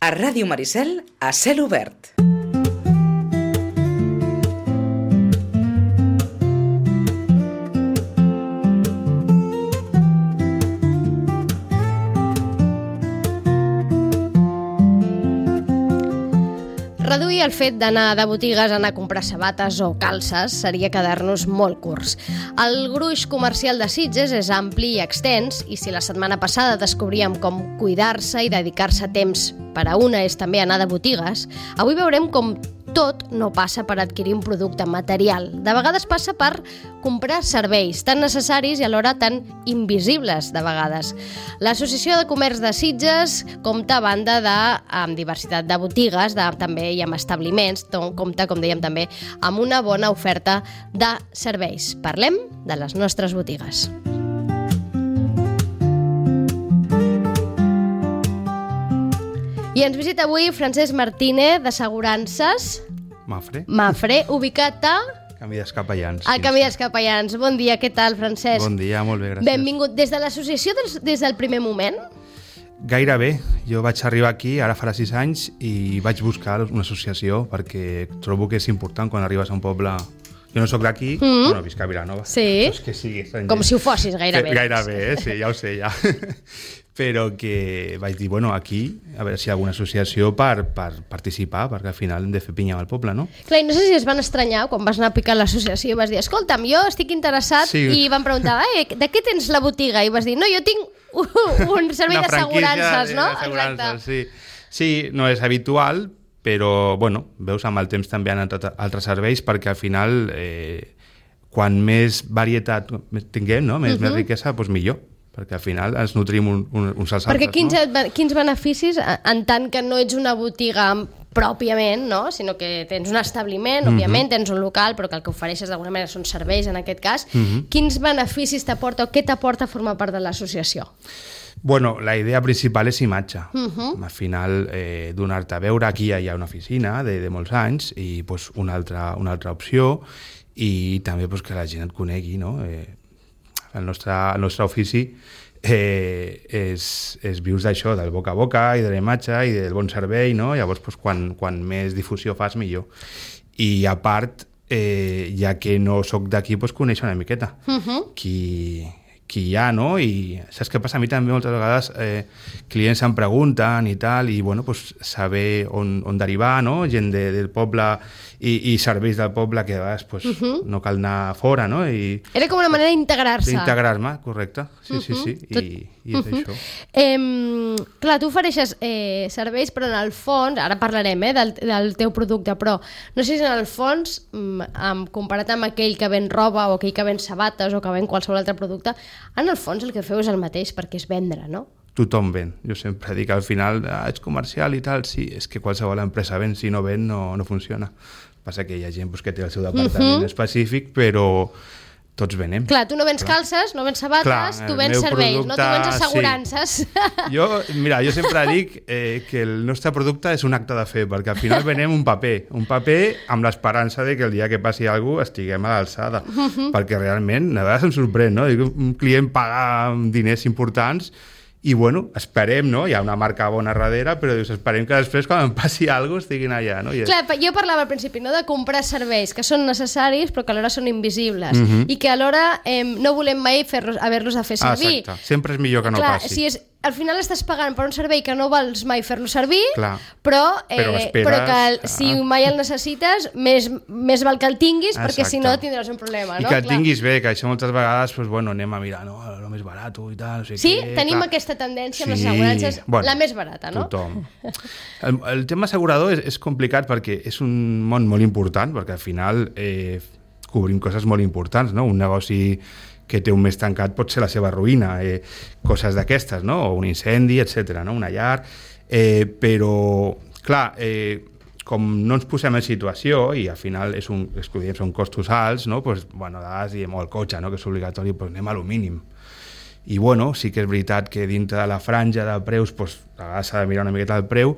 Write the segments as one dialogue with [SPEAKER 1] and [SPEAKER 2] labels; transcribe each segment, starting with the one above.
[SPEAKER 1] A Ràdio Maricel, a cel obert.
[SPEAKER 2] Reduir el fet d'anar de botigues a anar a comprar sabates o calces seria quedar-nos molt curts. El gruix comercial de Sitges és ampli i extens, i si la setmana passada descobríem com cuidar-se i dedicar-se temps per a una és també anar de botigues, avui veurem com tot no passa per adquirir un producte material. De vegades passa per comprar serveis tan necessaris i alhora tan invisibles de vegades. L'Associació de Comerç de Sitges compta a banda amb diversitat de botigues, també i amb establiments, compta, com dèiem també, amb una bona oferta de serveis. Parlem de les nostres botigues. I ens visita avui Francesc Martínez, d'Assegurances Mafre, ubicat a
[SPEAKER 3] Camí dels Capellans.
[SPEAKER 2] Al Camí dels Capellans. Bon dia, què tal, Francesc?
[SPEAKER 3] Bon dia, molt bé, gràcies.
[SPEAKER 2] Benvingut. Des de l'associació, des del primer moment?
[SPEAKER 3] Gairebé. Jo vaig arribar aquí, ara farà 6 anys, i vaig buscar una associació perquè trobo que és important quan arribes a un poble. Jo no sóc d'aquí, bueno, visc a Vilanova.
[SPEAKER 2] Sí,
[SPEAKER 3] és que sí,
[SPEAKER 2] com si ho fossis, gairebé.
[SPEAKER 3] Gairebé, sí, ja ho sé, ja. Però que vaig dir, bueno, aquí, a veure si hi ha alguna associació per participar, perquè al final hem de fer pinya al poble, no?
[SPEAKER 2] Clar, i no sé si es van estranyar quan vas anar a picar l'associació i vas dir, escolta'm, jo estic interessat, sí. I van preguntar, de què tens la botiga? I vas dir, no, jo tinc un servei d'assegurances, no?
[SPEAKER 3] Exacte. Sí, no és habitual, però, bueno, veus, amb el temps també han entrat altres serveis, perquè al final, quan més varietat tinguem, no? Més riquesa, doncs millor, perquè al final ens nutrim uns als altres.
[SPEAKER 2] Perquè quins beneficis, en tant que no ets una botiga pròpiament, no? Sinó que tens un establiment, òbviament, tens un local, però que el que ofereixes d'alguna manera són serveis, en aquest cas, quins beneficis t'aporta o què t'aporta formar part de l'associació?
[SPEAKER 3] Bueno, la idea principal és imatge. Al final, donar-te a veure, aquí hi ha una oficina de molts anys i pues, una altra opció, i també pues, que la gent et conegui, no? El nostre ofici és vius d'això, del boca a boca i de la imatge i del bon servei, no? Llavors, pues, quan més difusió fas, millor. I a part, ja que no sóc d'aquí, pues, conèixer una miqueta qui hi ha, no? I saps què passa? A mi també moltes vegades clients em pregunten i tal, i bueno, pues, saber on derivar, no? Gent del poble i serveis del poble que a vegades pues, no cal anar fora, no?
[SPEAKER 2] Era com una manera d'integrar-se.
[SPEAKER 3] D'integrar-me, correcte. Sí. I és això.
[SPEAKER 2] Clar, tu ofereixes serveis, però en el fons, ara parlarem del teu producte, però no sé si en el fons, comparat amb aquell que ven roba o aquell que ven sabates o que ven qualsevol altre producte, en el fons el que feu és el mateix, perquè és vendre, no?
[SPEAKER 3] Tothom ven. Jo sempre dic al final, ets comercial i tal, sí, és que qualsevol empresa ven, si no ven no funciona. Passa que hi ha gent que té el seu departament específic, però tots venem.
[SPEAKER 2] Clar, tu no vens calces, no vens sabates, tu vens serveis, no? Tu vens assegurances.
[SPEAKER 3] Sí. Jo sempre dic que el nostre producte és un acte de fe, perquè al final venem un paper amb l'esperança de que el dia que passi alguna cosa estiguem a l'alçada, perquè realment, a vegades em sorprèn, no? Un client paga diners importants i, bueno, esperem, no? Hi ha una marca bona darrere, però dius, esperem que després, quan em passi alguna cosa, estiguin allà, no?
[SPEAKER 2] Clar, jo parlava al principi, no?, de comprar serveis que són necessaris, però que alhora són invisibles, i que alhora no volem mai haver-los a fer servir.
[SPEAKER 3] Exacte, sempre és millor que no passi.
[SPEAKER 2] Si al final estàs pagant per un servei que no vols mai fer-lo servir,
[SPEAKER 3] però
[SPEAKER 2] que si mai el necessites, més val que el tinguis, perquè si no tindràs un problema.
[SPEAKER 3] I que el tinguis bé, que això moltes vegades anem a mirar el més barat i tal.
[SPEAKER 2] Sí, tenim aquesta tendència amb les assegurances, la més barata, no?
[SPEAKER 3] Tothom. El tema assegurador és complicat perquè és un món molt important, perquè al final cobrim coses molt importants, no? Un negoci que té un mes tancat pot ser la seva ruïna, coses d'aquestes, no? O un incendi, etc., no? Una llar, però, clar, com no ens posem en situació i al final són costos alts, no? Pues, bueno, a vegades diem, el cotxe, no? Que és obligatori, pues anem a lo mínim. I, bueno, sí que és veritat que dintre de la franja de preus, pues, a vegades s'ha de mirar una miqueta el preu,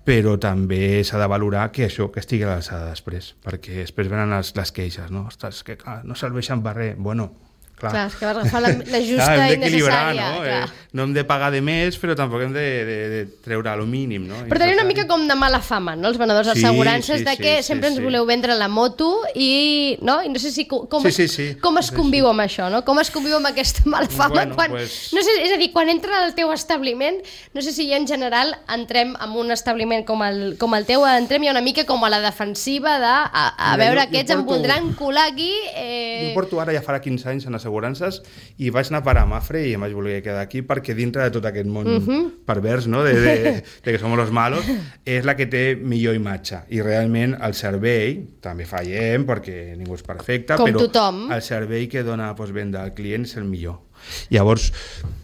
[SPEAKER 3] però també s'ha de valorar que això que estigui a l'alçada després, perquè després venen les queixes, no? Ostres, que no serveixen per res. Bueno,
[SPEAKER 2] Clar, és que vas agafar la justa
[SPEAKER 3] hem
[SPEAKER 2] i
[SPEAKER 3] d'equilibrar,
[SPEAKER 2] necessària.
[SPEAKER 3] no hem de pagar de més, però tampoc hem de treure el mínim, no?
[SPEAKER 2] Però tenia una mica com de mala fama, no?, els venedors d'assegurances, de que sempre ens voleu vendre la moto i no sé si com es conviu amb això, no? Com es conviu amb aquesta mala fama quan... No sé, és a dir, quan entra al teu establiment, no sé si en general entrem en un establiment com el teu, entrem ja una mica com a la defensiva de a veure aquests em voldran colar aquí...
[SPEAKER 3] Jo porto ara, ja farà 15 anys en assegurances, i vaig anar a parar a Mafre i em vaig voler quedar aquí perquè dintre de tot aquest món pervers, no?, de que som los malos, és la que té millor imatge. I realment el servei, també fallem perquè ningú és perfecte, però el servei que dona postvenda al client és el millor. Llavors,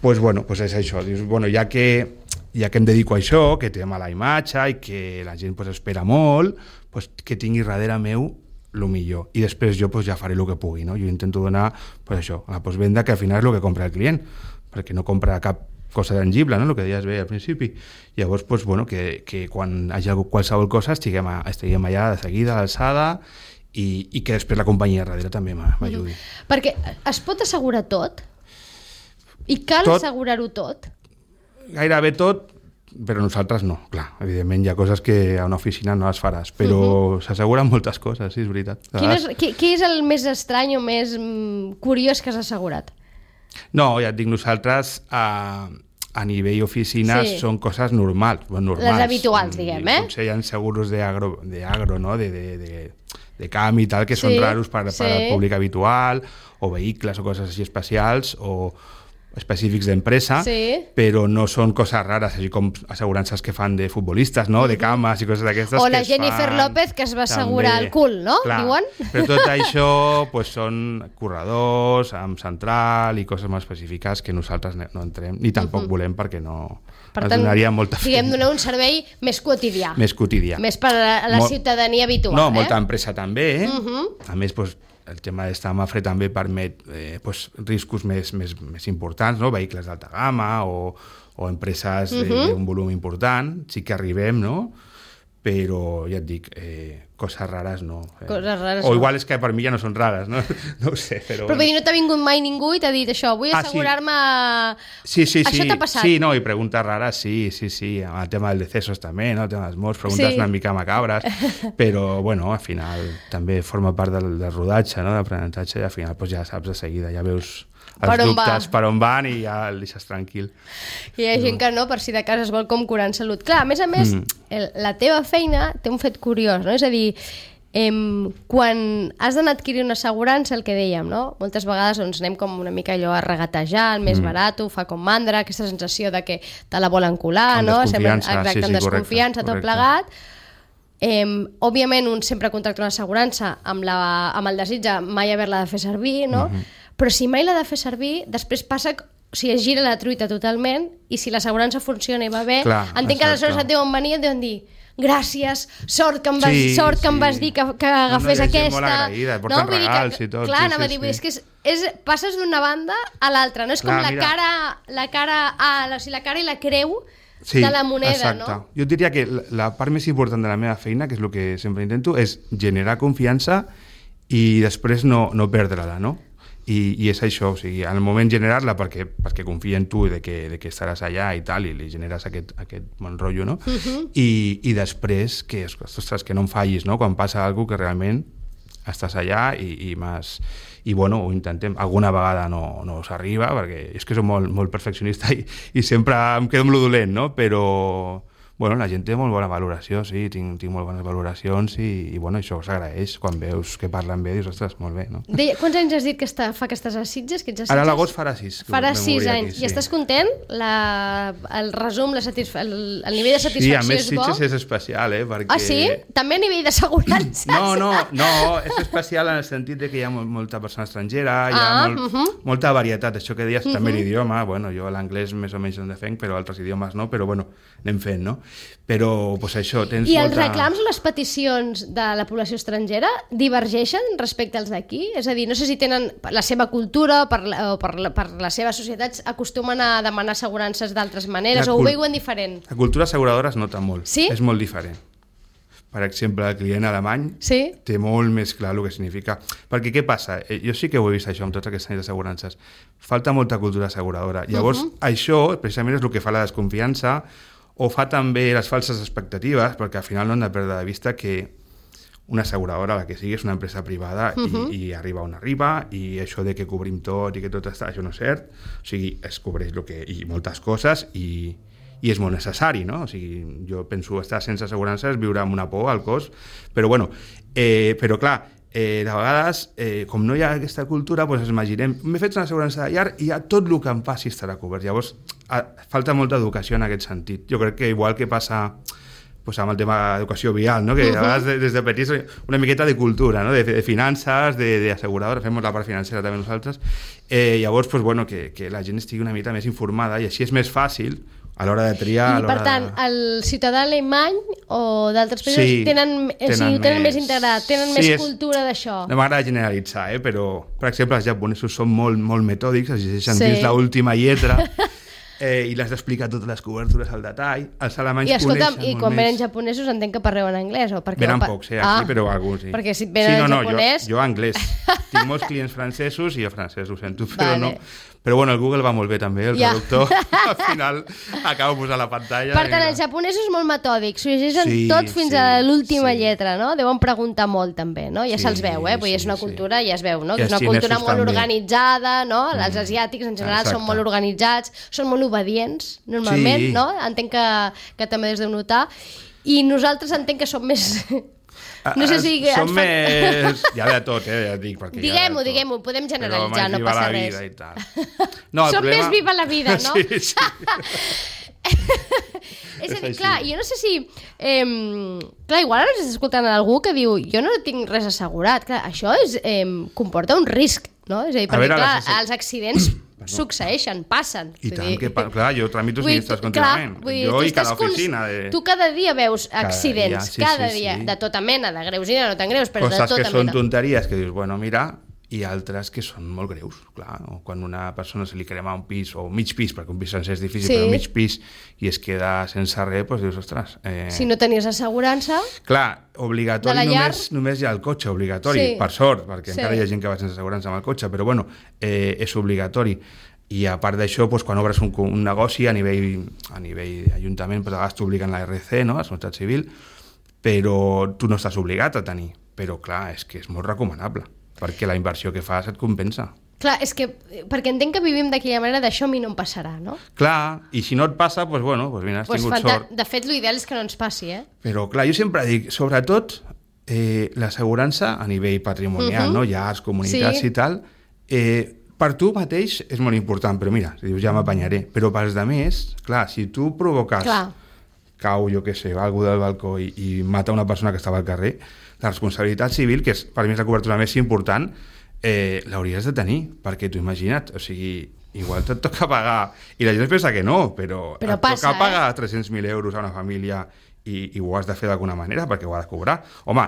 [SPEAKER 3] és això. Dius, ja que em dedico a això, que té mala imatge i que la gent espera molt, que tingui darrere meu el millor. I després jo ja faré el que pugui, no? Jo intento donar això, a la postvenda, que al final és el que compra el client, perquè no compra cap cosa tangible, no?, el que deies bé al principi. Llavors, que quan hi hagi qualsevol cosa estiguem allà de seguida, a l'alçada, i que després la companyia darrere també m'ajudi.
[SPEAKER 2] Perquè es pot assegurar tot? I cal assegurar-ho tot?
[SPEAKER 3] Gairebé tot, però nosaltres no, clar. Evidentment hi ha coses que a una oficina no les faràs, però s'asseguren moltes coses, sí, és veritat.
[SPEAKER 2] Què és el més estrany o més curiós que has assegurat?
[SPEAKER 3] No, ja et dic, nosaltres a nivell oficines són coses normals.
[SPEAKER 2] Les habituals, diguem,
[SPEAKER 3] Potser hi ha seguros d'agro, no?, de camp i tal, que són raros per al públic habitual, o vehicles o coses així especials, o específics d'empresa, però no són coses rares, així com assegurances que fan de futbolistes, no?, de cames i coses d'aquestes.
[SPEAKER 2] O la Jennifer López, que es va assegurar el cul, no?, diuen?
[SPEAKER 3] Però tot això són corredors, amb central i coses molt específiques que nosaltres no entrem, ni tampoc volem, perquè no...
[SPEAKER 2] Per tant, diguem, donar un servei més quotidià.
[SPEAKER 3] Més quotidià.
[SPEAKER 2] Més per a la ciutadania habitual.
[SPEAKER 3] No, molta empresa també, A més, el tema d'estar a Mafre també permet riscos més importants, no?, vehicles d'alta gamma o empreses d'un volum important, sí que arribem, no?, però ja et dic, coses rares no. O igual és que per mi ja no són rares, no ho sé. Però
[SPEAKER 2] vull dir, no t'ha vingut mai ningú i t'ha dit això, vull assegurar-me...
[SPEAKER 3] Sí.
[SPEAKER 2] Això t'ha passat?
[SPEAKER 3] Sí, no, i preguntes rares, sí. El tema dels decesos també, no? El tema dels morts, preguntes una mica macabres, però, al final també forma part del rodatge, no?, d'aprenentatge, i al final ja saps de seguida, ja veus els dubtes per on van i ja el deixes tranquil.
[SPEAKER 2] I hi ha gent que no, per si de cas es vol com curar en salut. Clar, a més, la teva feina té un fet curiós, no? És a dir, quan has d'anar a adquirir una assegurança, el que dèiem, no?, moltes vegades anem com una mica allò a regatejar, el més barat, fa com mandra, aquesta sensació de que te la volen colar, no? Amb desconfiança, tot plegat. Òbviament un sempre contracta una assegurança amb el desig de mai haver-la de fer servir, no? Però si mai l'ha de fer servir, després passa, es gira la truita totalment, i si l'assegurança funciona i va bé, entenc que aleshores et deuen venir i et deuen dir gràcies, sort que em vas dir que agafés aquesta.
[SPEAKER 3] Molt agraïda, porten regals i tot.
[SPEAKER 2] Clar, anava a dir, és que passes d'una banda a l'altra, no és com la cara i la creu de la moneda, no?
[SPEAKER 3] Jo diria que la part més important de la meva feina, que és el que sempre intento, és generar confiança i després no perdre-la, no? I és això, o sigui, al moment generar-la perquè confia en tu de que estaràs allà i tal, i li generes aquest bon rotllo, no? I després que no em fallis, no?, quan passa alguna cosa que realment estàs allà i ho intentem. Alguna vegada no s'arriba, perquè és que soc molt perfeccionista i sempre em quedo amb lo dolent, no? Però la gent té molt bona valoració, sí, tinc molt bones valoracions i això s'agraeix. Quan veus que parlen bé, dius, ostres, molt bé, no?
[SPEAKER 2] Quants anys has dit que fa que estàs a Sitges?
[SPEAKER 3] Ara a l'agost farà 6.
[SPEAKER 2] Farà 6 anys. I estàs content? El resum, el nivell de satisfacció és bo?
[SPEAKER 3] Sí, a més Sitges és especial, perquè...
[SPEAKER 2] Ah, sí? També a nivell d'assegurances?
[SPEAKER 3] No, és especial en el sentit que hi ha molta persona estrangera, hi ha molta varietat, això que deies, també l'idioma, jo l'anglès més o menys en defenc, però altres idiomes no, però anem fent, no? Però, això, tens molta...
[SPEAKER 2] I els reclams o les peticions de la població estrangera divergeixen respecte als d'aquí? És a dir, no sé si tenen la seva cultura o per les seves societats acostumen a demanar assegurances d'altres maneres o ho veuen diferent?
[SPEAKER 3] La cultura asseguradora es nota molt, és molt diferent. per exemple, el client alemany té molt més clar el que significa. Perquè què passa? Jo sí que ho he vist això amb tots aquests anys d'assegurances. Falta molta cultura asseguradora. Llavors, això precisament és el que fa la desconfiança o fa també les falses expectatives, perquè al final no hem de perdre de vista que una asseguradora, la que sigui, és una empresa privada i arriba on arriba, i això de que cobrim tot i que tot està, això no és cert. O sigui, es cobreix i moltes coses i és molt necessari, no? O sigui, jo penso estar sense assegurança és viure amb una por al cos, però bueno, però clar, de vegades, com no hi ha aquesta cultura, doncs ens imaginem, m'he fet una assegurança de llar i ja tot el que em passi estarà cobert. Llavors, falta molta educació en aquest sentit. Jo crec que igual que passa pues, amb el tema d'educació vial, no? Que a vegades des de petits una miqueta de cultura, no? De finances, d'asseguradora, fem la part financera també nosaltres. Llavors, pues, bueno, que la gent estigui una mica més informada i així és més fàcil a l'hora de triar...
[SPEAKER 2] I per tant, el ciutadà alemany o d'altres països tenen més integrat, tenen més cultura d'això.
[SPEAKER 3] No m'agrada generalitzar, però, per exemple, els japonesos són molt, molt metòdics, es llegeixen dins l'última lletra i les d'explicar totes les cobertures al detall. Els alemanys coneixen molt més.
[SPEAKER 2] I quan venen japonesos entenc que parleu en anglès?
[SPEAKER 3] Venen pocs, aquí, però alguns sí.
[SPEAKER 2] Perquè si venen en japonès...
[SPEAKER 3] Jo anglès. Tinc molts clients francesos i el francès ho sento, però no... Però bueno, el Google va molt bé també, el traductor al final acaba posant la pantalla.
[SPEAKER 2] Per tant, els japonesos molt metòdics, s'ho llegeixen tot fins a l'última lletra, no? Deuen preguntar molt també, no? Ja se'ls veu, Vull dir, és una cultura, ja es veu, no? Que és una cultura molt organitzada, no? Els asiàtics en general són molt organitzats, són molt obedients, normalment, no? Entenc que també des de notar. I nosaltres entenc que som més... No sé si...
[SPEAKER 3] Som més... Hi ha de tot, ja et dic.
[SPEAKER 2] Diguem-ho, podem generalitzar, no passa res.
[SPEAKER 3] Som
[SPEAKER 2] més viva la vida, no?
[SPEAKER 3] Sí.
[SPEAKER 2] És a dir, clar, jo no sé si... Clar, igual ara estàs escoltant algú que diu jo no tinc res assegurat. Clar, això comporta un risc, no? És a dir, perquè clar, els accidents succeeixen, passen.
[SPEAKER 3] I tant, clar, jo tramito sinistres contínuament. Jo i cada oficina.
[SPEAKER 2] Tu cada dia veus accidents, cada dia, de tota mena, de greus i de no tan greus, però de tota mena.
[SPEAKER 3] Coses que són tonteries, que dius, bueno, mira, i altres que són molt greus, clar. O quan una persona se li crema un pis, o mig pis, perquè un pis sencer és difícil, però mig pis, i es queda sense res, doncs dius, ostres...
[SPEAKER 2] Si no tenies assegurança...
[SPEAKER 3] Clar, obligatori només hi ha el cotxe, obligatori, per sort, perquè encara hi ha gent que va sense assegurança amb el cotxe, però bueno, és obligatori. I a part d'això, quan obres un negoci a nivell ajuntament, a vegades t'obliguen la RC, no? La Seguretat Civil, però tu no estàs obligat a tenir. Però clar, és que és molt recomanable, perquè la inversió que fas et compensa.
[SPEAKER 2] Clar, és que, perquè entenc que vivim d'aquella manera, d'això a mi no em passarà, no?
[SPEAKER 3] Clar, i si no et passa, doncs bueno, mira, has tingut sort.
[SPEAKER 2] De fet, l'ideal és que no ens passi,
[SPEAKER 3] Però clar, jo sempre dic, sobretot, l'assegurança a nivell patrimonial, no? Llars, comunitats i tal, per tu mateix és molt important, però mira, si dius ja m'apanyaré, però pels altres, clar, si tu provoques, cau, jo què sé, algú del balcó i mata una persona que estava al carrer, la responsabilitat civil, que és per mi és la cobertura més important, l'hauries de tenir, perquè tu imagina't, o sigui, igual et toca pagar, i la gent pensa que no, però et toca pagar 300.000 euros a una família i ho has de fer d'alguna manera perquè ho ha de cobrar. Home,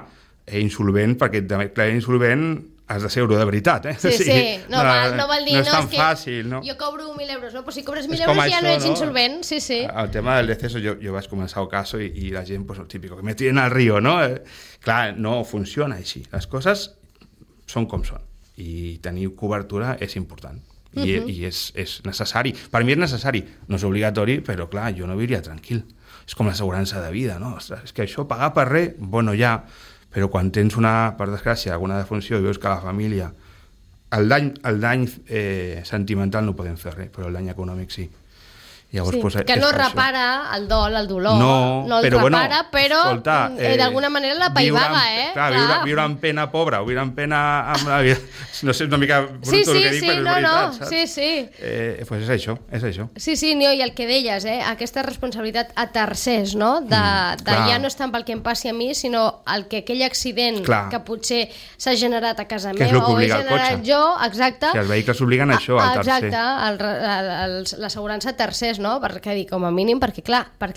[SPEAKER 3] insolvent, perquè clar, insolvent has de ser euro de veritat,
[SPEAKER 2] Sí, no vol dir,
[SPEAKER 3] no és tan fàcil, no?
[SPEAKER 2] Jo cobro 1.000 euros, no? Però si cobres 1.000 euros ja no ets insolvent, sí.
[SPEAKER 3] El tema del deceso, jo vaig començar el caso i la gent, pues, el típico, que me tiren al río, no? Clar, no funciona així. Les coses són com són. I tenir cobertura és important. I és necessari. Per mi és necessari. No és obligatori, però clar, jo no viuria tranquil. És com l'assegurança de vida, no? Ostres, és que això, pagar per res, bueno, ja... Però quan tens per desgràcia, alguna defunció i veus que la família... El dany sentimental no podem fer res, però el dany econòmic sí. Llavors,
[SPEAKER 2] que no repara el dol, el dolor, no el repara, però d'alguna manera la paivaga,
[SPEAKER 3] Clar, viure en pena pobra, o viure en pena amb la vida... No sé, és una mica bruto el que dic, però és veritat, saps?
[SPEAKER 2] Sí.
[SPEAKER 3] Pues és això.
[SPEAKER 2] Sí, i el que deies, aquesta responsabilitat a tercers, no? De ja no és tant pel que em passi a mi, sinó el que aquell accident que potser s'ha generat a casa meva o he generat jo, exacte.
[SPEAKER 3] Si els vehicles obliguen a això, al tercer.
[SPEAKER 2] Exacte, l'assegurança a tercers, no? Perquè dic, com a mínim, perquè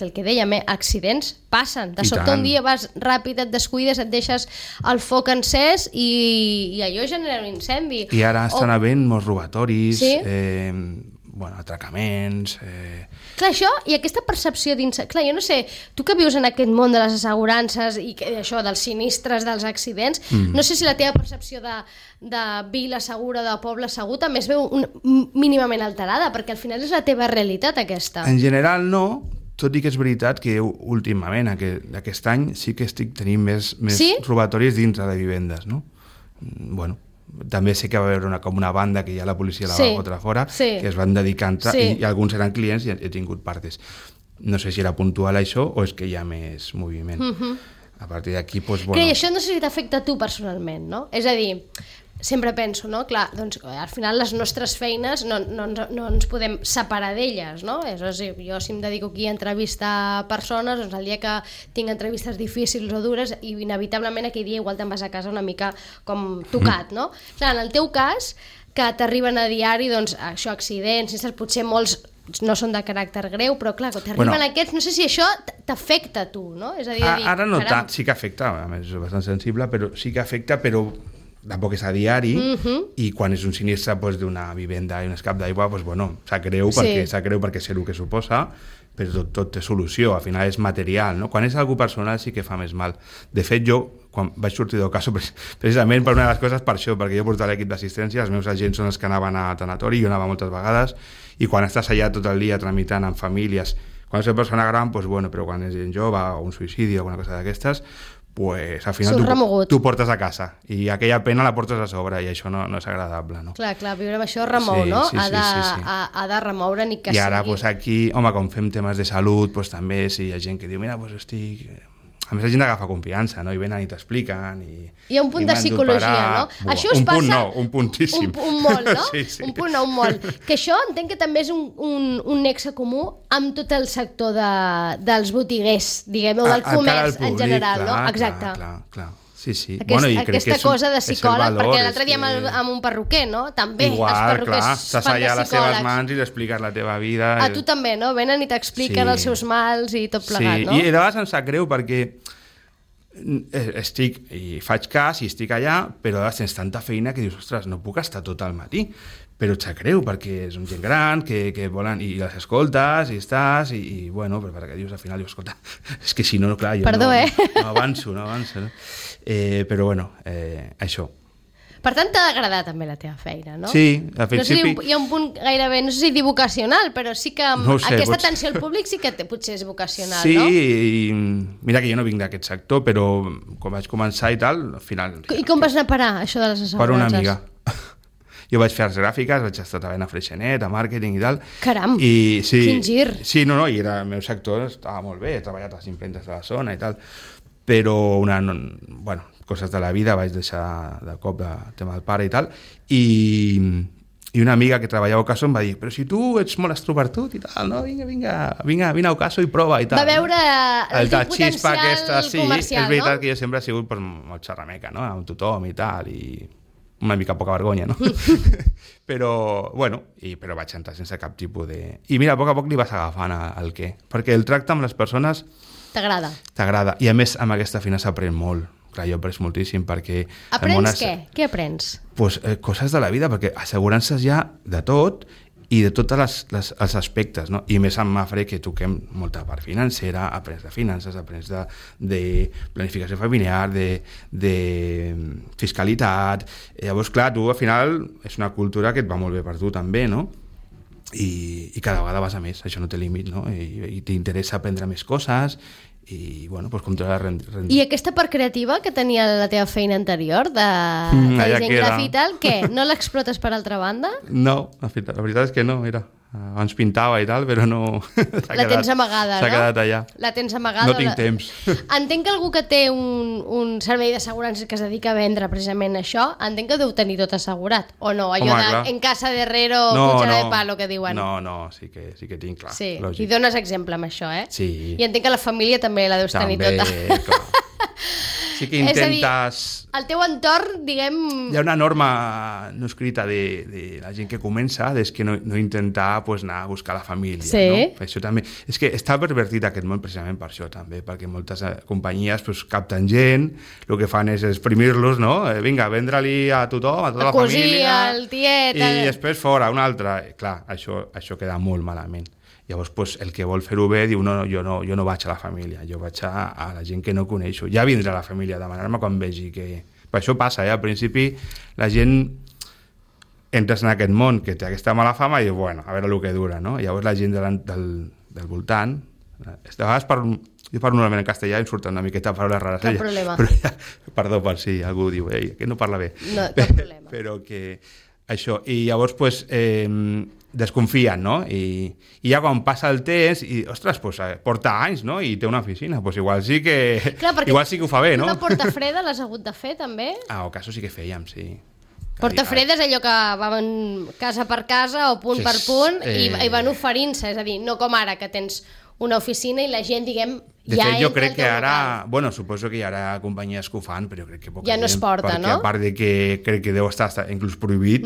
[SPEAKER 2] el que dèiem, accidents passen. De sobte un dia vas ràpid, et descuides, et deixes el foc encès i allò genera un incendi.
[SPEAKER 3] I ara estan havent molts robatoris, atracaments...
[SPEAKER 2] Clar, això i aquesta percepció dins... Clar, jo no sé, tu que vius en aquest món de les assegurances i això, dels sinistres, dels accidents, no sé si la teva percepció de vila segura, de poble segur, també es veu mínimament alterada, perquè al final és la teva realitat aquesta.
[SPEAKER 3] En general no, tot i que és veritat que últimament, aquest any, sí que estic tenint més robatoris dins de vivendes, no? Bueno, també sé que va haver com una banda que ja la policia la va fotre fora, que es van dedicar a entrar, i alguns eren clients i he tingut partes. No sé si era puntual això o és que hi ha més moviment. A partir d'aquí, doncs, bueno...
[SPEAKER 2] Que això no sé si t'afecta a tu personalment, no? És a dir, sempre penso, no? Clar, doncs al final les nostres feines no ens podem separar d'elles, no? És a dir, jo si em dedico aquí a entrevistar persones, doncs el dia que tinc entrevistes difícils o dures, i inevitablement aquell dia igual te'n vas a casa una mica com tocat, no? Clar, en el teu cas, que t'arriben a diari, doncs, això, accidents, potser molts no són de caràcter greu, però clar, quan t'arriben aquests, no sé si això t'afecta a tu, no? És a dir,
[SPEAKER 3] ara no tant, sí que afecta, a més és bastant sensible, però sí que afecta, però tampoc és a diari, i quan és un sinistre d'una vivenda i un escap d'aigua, sap greu perquè sé el que suposa, però tot té solució, al final és material, no? Quan és algú personal sí que fa més mal. De fet, jo, quan vaig sortir del cas, precisament per una de les coses per això, perquè jo portava l'equip d'assistència, els meus agents són els que anaven a tanatori, jo anava moltes vegades, i quan estàs allà tot el dia tramitant amb famílies, quan és una persona gran, però quan és gent jove o un suïcidi o alguna cosa d'aquestes, pues al final tu portes a casa i aquella pena la portes a sobre i això no és agradable, no?
[SPEAKER 2] Clar, viure amb això remou, no? Ha de remoure ni que
[SPEAKER 3] sigui. I ara, aquí, home, com fem temes de salut, també si hi ha gent que diu, mira, estic... A més, la gent agafa confiança, no? I venen i t'expliquen i...
[SPEAKER 2] Hi ha un punt de psicologia, no? Això us passa...
[SPEAKER 3] Un puntíssim.
[SPEAKER 2] Un molt, no?
[SPEAKER 3] Sí.
[SPEAKER 2] Un punt no, un molt. Que això entenc que també és un nexe comú amb tot el sector dels botiguers, diguem-ho, del comerç en general, no? Exacte.
[SPEAKER 3] Clar. Sí.
[SPEAKER 2] Aquesta cosa de psicòleg, perquè l'altre dia amb un perruquer, no? També, els perruquers fan de
[SPEAKER 3] s'asseia les teves
[SPEAKER 2] psicòlegs.
[SPEAKER 3] Mans i li expliques la teva vida.
[SPEAKER 2] A tu també, no? Venen i t'expliquen els seus mals i tot plegat, no?
[SPEAKER 3] I de vegades em sap greu perquè estic i faig cas i estic allà, però a vegades tens tanta feina que dius, ostres, no puc estar tot el matí, però et sap greu perquè és un gent gran que volen, i les escoltes i estàs i bueno, però perquè dius al final, escolta, és que si no, clar, jo
[SPEAKER 2] no
[SPEAKER 3] avanço, no? Però bueno, això.
[SPEAKER 2] Per tant, t'ha d'agradar també la teva feina, no?
[SPEAKER 3] Sí, al principi...
[SPEAKER 2] No sé, hi ha un punt gairebé, no sé si dir vocacional, però sí que aquesta atenció al públic sí que potser és vocacional, no?
[SPEAKER 3] Sí, i mira que jo no vinc d'aquest sector, però quan vaig començar i tal, al final...
[SPEAKER 2] I com vas anar a parar, això de les assegurances?
[SPEAKER 3] Per una amiga. Jo vaig fer arts gràfiques, vaig estar treballant a Freixenet, a màrqueting i tal.
[SPEAKER 2] Caram,
[SPEAKER 3] quin
[SPEAKER 2] gir.
[SPEAKER 3] Sí, no, i el meu sector estava molt bé, he treballat a les impremtes de la zona i tal, però coses de la vida, vaig deixar de cop el tema del pare i tal, i una amiga que treballava a Ocaso em va dir, però si tu ets molt extrovertit i tal, no? Vinga a Ocaso i prova i tal.
[SPEAKER 2] Va veure el teu potencial comercial,
[SPEAKER 3] és veritat que jo sempre he sigut molt xerrameca, no? Amb tothom i tal, i una mica poca vergonya, no? però vaig entrar sense cap tipus de... I mira, a poc li vas agafant el què, perquè el tracte amb les persones t'agrada, i a més amb aquesta feina s'aprèn molt. Clar, jo he après moltíssim perquè...
[SPEAKER 2] Aprens què? Què aprens?
[SPEAKER 3] Coses de la vida, perquè assegurances hi ha de tot i de tots els aspectes, no? I més amb Mafre, que toquem molta part financera, aprens de finances, aprens de planificació familiar, de fiscalitat. Llavors, clar, tu al final és una cultura que et va molt bé per tu també, no? I cada vegada vas a més, això no té límit, no? I t'interessa aprendre més coses i, com te la rendir.
[SPEAKER 2] I aquesta part creativa que tenia la teva feina anterior de disseny gràfic i tal, què? No l'explotes per altra banda?
[SPEAKER 3] No, la veritat és que no, mira. Abans pintava i tal, però no...
[SPEAKER 2] La tens amagada, no?
[SPEAKER 3] S'ha quedat allà.
[SPEAKER 2] La tens amagada.
[SPEAKER 3] No tinc temps.
[SPEAKER 2] Entenc que algú que té un servei d'assegurances que es dedica a vendre precisament això, entenc que deu tenir tot assegurat, o no? Allò en casa de herrero, cuchara de palo, que diuen.
[SPEAKER 3] No, sí que tinc, clar.
[SPEAKER 2] Sí, i dones exemple amb això, eh?
[SPEAKER 3] Sí.
[SPEAKER 2] I entenc que la família també la deus tenir tota.
[SPEAKER 3] Clar. sí que intentes...
[SPEAKER 2] És a dir, el teu entorn, diguem...
[SPEAKER 3] Hi ha una norma no escrita de la gent que comença, és que no intentar pues, anar a buscar la família.
[SPEAKER 2] Sí.
[SPEAKER 3] No? Això també... És que està pervertit aquest món precisament per això també, perquè moltes companyies pues, capten gent, el que fan és exprimir-los, no? Vinga, vendre-li a tothom, a tota la família...
[SPEAKER 2] El tiet...
[SPEAKER 3] I després fora, un altre. Clar, això queda molt malament. Llavors, pues, el que vol fer-ho bé diu jo no vaig a la família, jo vaig a la gent que no coneixo. Ja vindrà la família a demanar-me quan vegi que... Per això passa, al principi la gent entres en aquest món que té aquesta mala fama i diu, bueno, a veure el que dura, no? Llavors la gent del voltant... De vegades jo parlo normalment en castellà i em surten una miqueta paraules rares.
[SPEAKER 2] Cap problema.
[SPEAKER 3] Però perdó per si algú diu, que no parla bé.
[SPEAKER 2] No, cap problema.
[SPEAKER 3] Però que... Això, i llavors pues, desconfien, no? I ja quan passa el temps i, ostres, pues, porta anys, no? I té una oficina, pues igual sí que igual sí que ho fa bé, no?
[SPEAKER 2] Una porta freda l'has hagut de fer, també?
[SPEAKER 3] Ah, o casos sí que fèiem, sí.
[SPEAKER 2] Porta freda és allò que van casa per casa o punt per punt i van oferint-se, és a dir, no com ara que tens una oficina i la gent, diguem,
[SPEAKER 3] de
[SPEAKER 2] ja
[SPEAKER 3] fet, jo
[SPEAKER 2] entra
[SPEAKER 3] crec que ara...
[SPEAKER 2] local.
[SPEAKER 3] Bueno, suposo que hi haurà companyies que ho fan, però jo crec que poca
[SPEAKER 2] ja no es porta,
[SPEAKER 3] perquè,
[SPEAKER 2] no?
[SPEAKER 3] a part de que crec que deu estar inclús prohibit,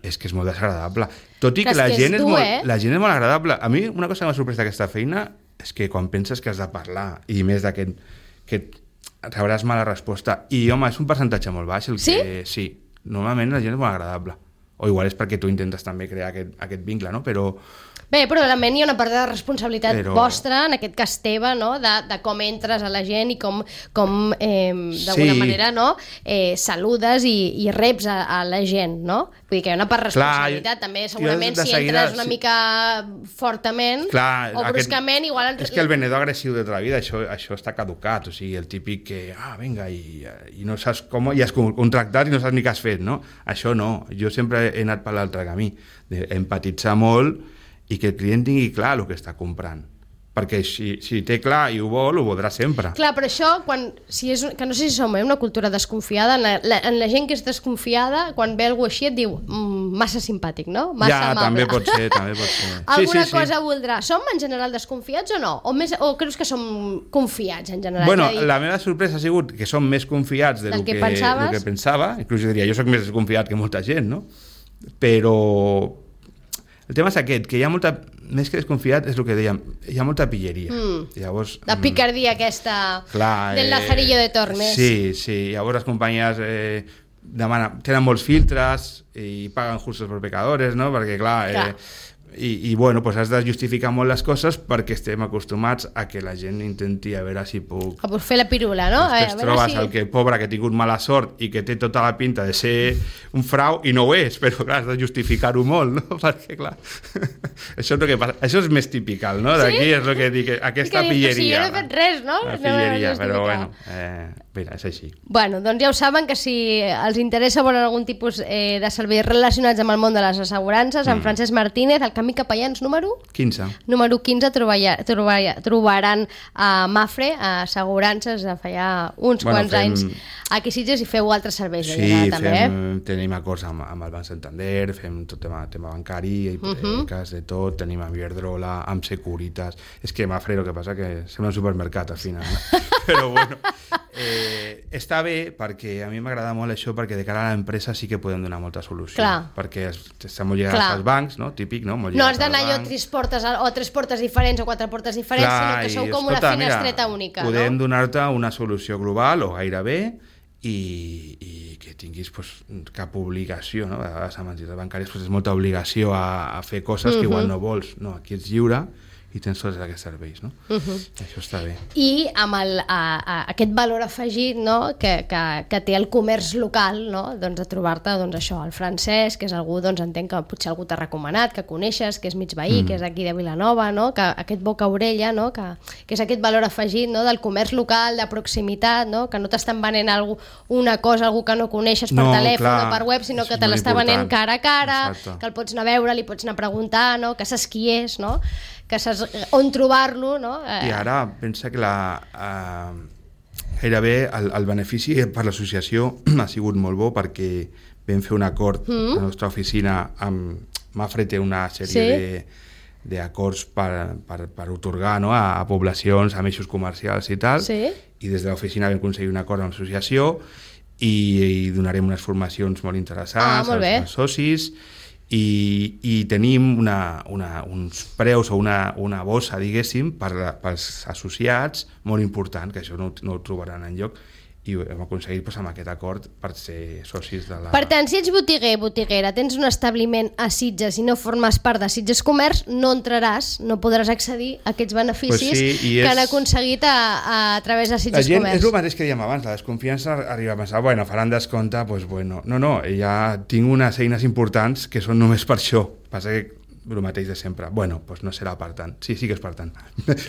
[SPEAKER 3] és que és molt desagradable. Tot i que la gent és molt agradable. A mi, una cosa que m'ha sorprès d'aquesta feina és que quan penses que has de parlar, i més d'aquest que rebràs mala resposta, i home, és un percentatge molt baix. Sí, normalment la gent és molt agradable. O igual és perquè tu intentes també crear aquest vincle, no?
[SPEAKER 2] Bé, però realment hi ha una part de responsabilitat vostra, en aquest cas teva, no? de com entres a la gent i com d'alguna manera, no? Saludes i reps a la gent, no? Vull dir que hi ha una part de responsabilitat. També segurament si entres una mica fortament o bruscament, igual...
[SPEAKER 3] És que el venedor agressiu de tota la vida, això està caducat, o sigui, el típic que, vinga, i no saps com, i has contractat i no saps ni què has fet, no? Això no, jo sempre he anat per l'altre camí, d'empatitzar molt i que el client tingui clar el que està comprant. Perquè si té clar i ho voldrà sempre.
[SPEAKER 2] Clar, però això, que no sé si som una cultura desconfiada, en la gent que és desconfiada, quan ve algú així et diu massa simpàtic, no? Massa amable.
[SPEAKER 3] També pot ser.
[SPEAKER 2] Alguna cosa voldrà. Som en general desconfiats o no? O creus que som confiats en general?
[SPEAKER 3] Bueno, la meva sorpresa ha sigut que som més confiats del que pensava. Inclús jo diria, jo soc més desconfiat que molta gent, no? Però... El tema és aquest, que hi ha molta... Més que desconfiat és el que dèiem, hi ha molta pilleria. Llavors,
[SPEAKER 2] la picardia aquesta del Lazarillo de Tormes.
[SPEAKER 3] Sí. Llavors les companyies tenen molts filtres i paguen justos per pecadores, no? Perquè, clar. I bueno, pues has de justificar molt les coses perquè estem acostumats a que la gent intenti a veure si puc...
[SPEAKER 2] A fer la pirula, no?
[SPEAKER 3] Després trobes el que pobre que ha tingut mala sort i que té tota la pinta de ser un frau i no ho és, però clar, has de justificar-ho molt, no? Perquè clar, això és el que passa. Això és més typical, no? D'aquí és el que dic, aquesta pilleria.
[SPEAKER 2] Si jo no he fet res, no?
[SPEAKER 3] La pilleria, però bueno, mira, és així.
[SPEAKER 2] Bueno, doncs ja ho saben que si els interessa volen algun tipus de serveis relacionats amb el món de les assegurances, en Francesc Martínez, el Camí Capellans número 15. Número 15 trobaran a Mafre, a assegurances, de feia uns quants anys aquí a Sitges, i feu altres serveis.
[SPEAKER 3] Tenim acords amb el Banc Santander, fem tot tema bancari, hipoteques, de tot, tenim amb Iberdrola, amb Securitas. És que Mafre, el que passa que sembla un supermercat al final, no? Però bueno, està bé perquè a mi m'agrada molt això, perquè de cara a l'empresa sí que podem donar molta solució. Clar. Perquè estem molt lligats als bancs, no? Típic, no? No
[SPEAKER 2] has d'anar allò a tres portes diferents o quatre portes diferents, sinó que sou com una finestreta única.
[SPEAKER 3] Podem donar-te una solució global o gairebé i que tinguis cap obligació, no? A vegades amb entitats bancàries és molta obligació a fer coses que igual no vols. No, aquí ets lliure i tens tots aquests serveis, no? Això està bé.
[SPEAKER 2] I amb aquest valor afegit, no? que té el comerç local, no? Doncs de trobar-te això, el Francesc, que és algú, entenc que potser algú t'ha recomanat, que coneixes, que és mig veí, que és aquí de Vilanova, no? Que aquest boca-orella, no? Que és aquest valor afegit, no? Del comerç local, de proximitat, no? Que no t'estan venent una cosa, algú que no coneixes per telèfon o per web, sinó que te l'està venent cara a cara, que el pots anar a veure, li pots anar a preguntar, no? Que saps qui és, no? Que saps on trobar-lo, no?
[SPEAKER 3] I ara pensa que gairebé el benefici per l'associació ha sigut molt bo, perquè vam fer un acord a la nostra oficina amb Mafre, té una sèrie d'acords per otorgar, no? A poblacions, a eixos comercials i tal, i des de l'oficina vam aconseguir un acord amb l'associació i donarem unes formacions molt interessants als socis i tenim uns preus o una bossa, diguéssim, pels associats molt important, que això no ho trobaran enlloc, i hem aconseguit amb aquest acord per ser socis de la...
[SPEAKER 2] Per tant, si ets botiguera, tens un establiment a Sitges i no formes part de Sitges Comerç, no entraràs, no podràs accedir a aquests beneficis que han aconseguit a través de Sitges Comerç.
[SPEAKER 3] És el mateix que dèiem abans, la desconfiança arriba a pensar, faran descompte, no, ja tinc unes eines importants que són només per això, passa que el mateix de sempre. No serà per tant. Sí que és per tant.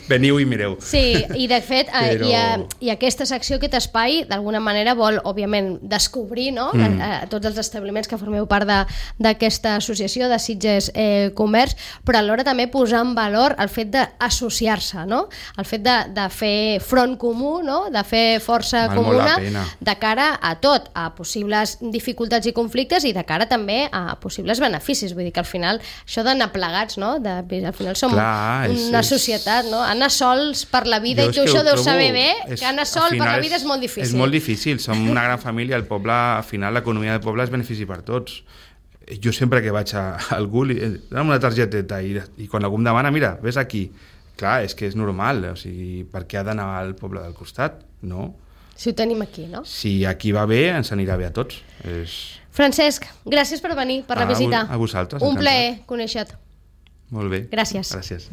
[SPEAKER 3] Veniu i mireu.
[SPEAKER 2] Sí, i de fet, i aquesta secció, aquest espai, d'alguna manera vol, òbviament, descobrir tots els establiments que formeu part d'aquesta associació de Sitges Comerç, però alhora també posar en valor el fet d'associar-se, no? El fet de fer front comú, no? De fer força comuna de cara a tot, a possibles dificultats i conflictes i de cara també a possibles beneficis. Vull dir que al final això d'anar plegats, no? Al final som una societat, no? Anar sols per la vida, i tu això deus saber bé, que anar sol per la vida és molt difícil.
[SPEAKER 3] És molt difícil, som una gran família, el poble, al final l'economia del poble és benefici per tots. Jo sempre que vaig a algú, dona'm una targeteta i quan algú em demana, mira, ves aquí. Clar, és que és normal, o sigui, per què ha d'anar al poble del costat? No.
[SPEAKER 2] Si ho tenim aquí, no?
[SPEAKER 3] Si aquí va bé, ens anirà bé a tots.
[SPEAKER 2] Francesc, gràcies per venir, per la visita.
[SPEAKER 3] A vosaltres.
[SPEAKER 2] Un plaer conèixer-te.
[SPEAKER 3] Molt bé.
[SPEAKER 2] Gràcies.
[SPEAKER 3] Gràcies.